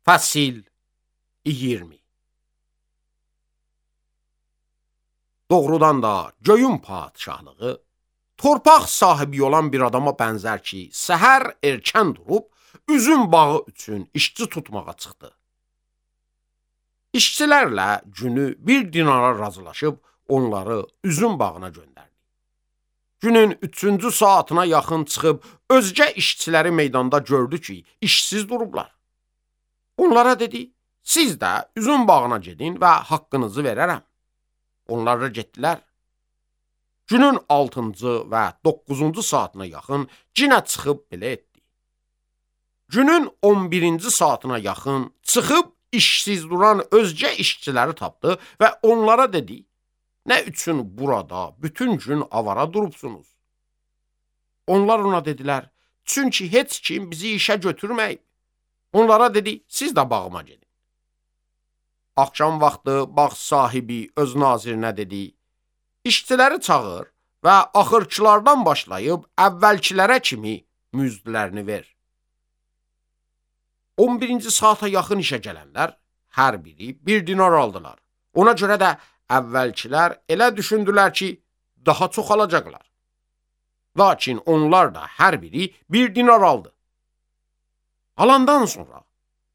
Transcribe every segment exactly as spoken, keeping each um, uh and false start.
Fəsil iyirmi. Doğrudan da göyün padişahlığı, torpaq sahibi olan bir adama bənzər ki, səhər erkən durub, üzüm bağı üçün işçi tutmağa çıxdı. İşçilərlə günü bir dinara razılaşıb, onları üzüm bağına göndərdi. Günün üçüncü saatına yaxın çıxıb, özgə işçiləri meydanda gördü ki, işsiz durublar. Onlara dedi, siz də üzüm bağına gedin və haqqınızı verərəm. Onlar da getdilər. Günün altıncı və doqquzuncu saatına yaxın yenə çıxıb belə etdi. Günün on birinci saatına yaxın çıxıb işsiz duran özgə işçiləri tapdı və onlara dedi, nə üçün burada bütün gün avara durubsunuz? Onlar ona dedilər, çünki heç kim bizi işə götürməyib. Onlara dedi, siz də bağıma gedin. Axşam vaxtı bağ sahibi öz nazirinə dedi, işçiləri çağır və axırçılardan başlayıb əvvəlkilərə kimi müzdlərini ver. on birinci saata yaxın işə gələnlər hər biri bir dinar aldılar. Ona görə də əvvəlkilər elə düşündülər ki, daha çox alacaqlar. Lakin onlar da hər biri bir dinar aldı. Alandan sonra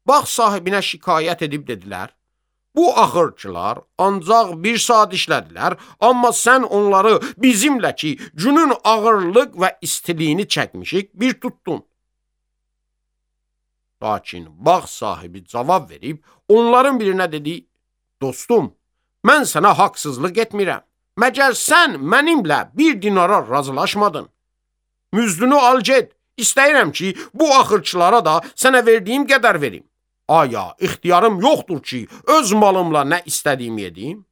bağ sahibinə şikayət edib dedilər, bu axırçılar ancaq bir saat işlədilər, amma sən onları bizimlə ki, günün ağırlıq və istiliyini çəkmişik, bir tutdun. Lakin bağ sahibi cavab verib, onların birinə dedi, dostum, mən sənə haqsızlıq etmirəm. Məgər sən mənimlə bir dinara razılaşmadın. Müzdünü al get, istəyirəm ki, bu axırçılara da sənə verdiyim qədər verim. Aya, ixtiyarım yoxdur ki, öz malımla nə istədiyimi edeyim?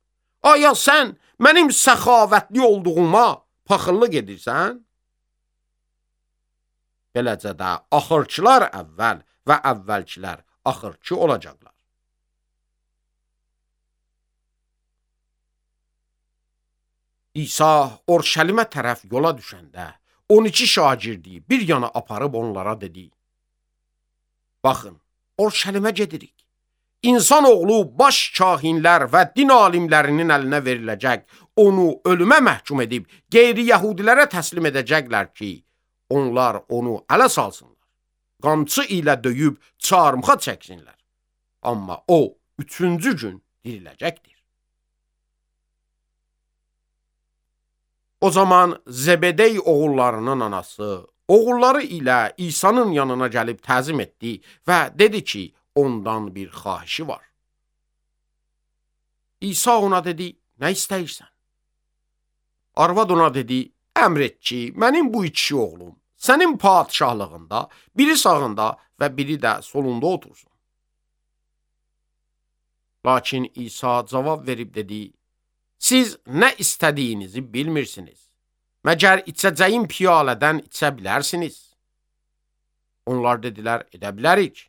Aya, sən mənim səxavətli olduğuma paxıllıq edirsən? Beləcə də axırçılar əvvəl və əvvəlkilər axırçı olacaqlar. İsa Orşəlimə tərəf yola düşəndə on iki şagirdi bir yana aparıb onlara dedi, baxın, Orşəlimə gedirik. İnsan oğlu baş kahinlər və din alimlərinin əlinə veriləcək, onu ölümə məhkum edib, qeyri-yəhudilərə təslim edəcəklər ki, onlar onu ələ salsınlar. Qamçı ilə döyüb çarmıxa çəksinlər. Amma o, üçüncü gün diriləcəkdir. O zaman Zebedey oğullarının anası, oğulları ilə İsa'nın yanına gəlib təzim etdi və dedi ki, ondan bir xahişi var. İsa ona dedi, nə istəyirsən? Arvad ona dedi, əmr et ki, mənim bu iki oğlum sənin padişahlığında, biri sağında və biri də solunda otursun. Lakin İsa cavab verib dedi, siz nə istədiyinizi bilmirsiniz. Məgər içəcəyin piyalədən içə bilərsiniz? Onlar dedilər, edə bilərik.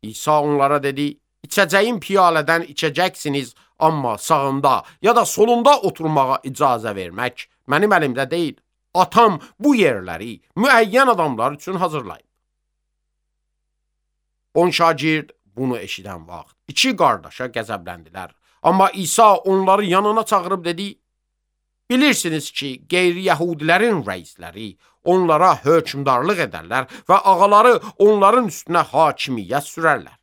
İsa onlara dedi, içəcəyin piyalədən içəcəksiniz, amma sağında ya da solunda oturmağa icazə vermək mənim əlimdə deyil. Atam bu yerləri müəyyən adamlar üçün hazırlayıb. On şagird bunu eşidən vaxt iki qardaşa qəzəbləndilər. Amma İsa onları yanına çağırıb dedi, bilirsiniz ki, qeyri-yəhudilərin rəisləri onlara hökmdarlıq edərlər və ağaları onların üstünə hakimiyyət sürərlər.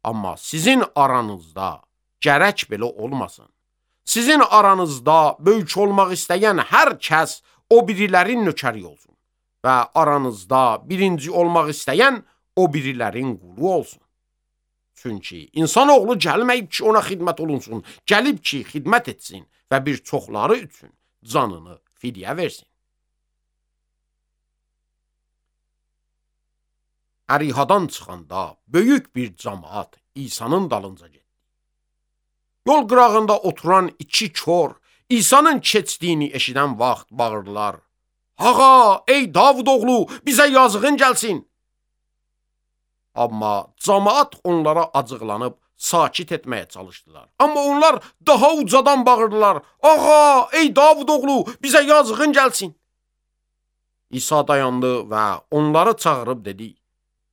Amma sizin aranızda gərək belə olmasın. Sizin aranızda böyük olmaq istəyən hər kəs o birilərin nökəri olsun və aranızda birinci olmaq istəyən o birilərin qulu olsun. Çünki insanoğlu gəlməyib ki, ona xidmət olunsun, gəlib ki, xidmət etsin və bir çoxları üçün canını fidyə versin. Ərihadan çıxanda böyük bir cəmaət İsa'nın dalınca getdi. Yol qırağında oturan iki kor İsa'nın keçdiyini eşidən vaxt bağırdılar. Ağa, ey Davud oğlu, bizə yazığın gəlsin. Amma cəmaət onlara acıqlanıb sakit etməyə çalışdılar. Amma onlar daha ucadan bağırdılar. Ağa, ey Davud oğlu, bizə yazığın gəlsin. İsa dayandı və onları çağırıb dedi,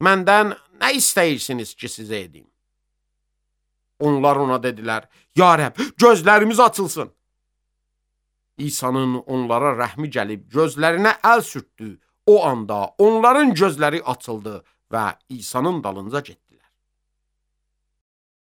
məndən nə istəyirsiniz ki, sizə edim? Onlar ona dedilər, ya Rəbb, gözlərimiz açılsın. İsa'nın onlara rəhmi gəlib gözlərinə əl sürtdü. O anda onların gözləri açıldı və İsa'nın dalınca getdilər.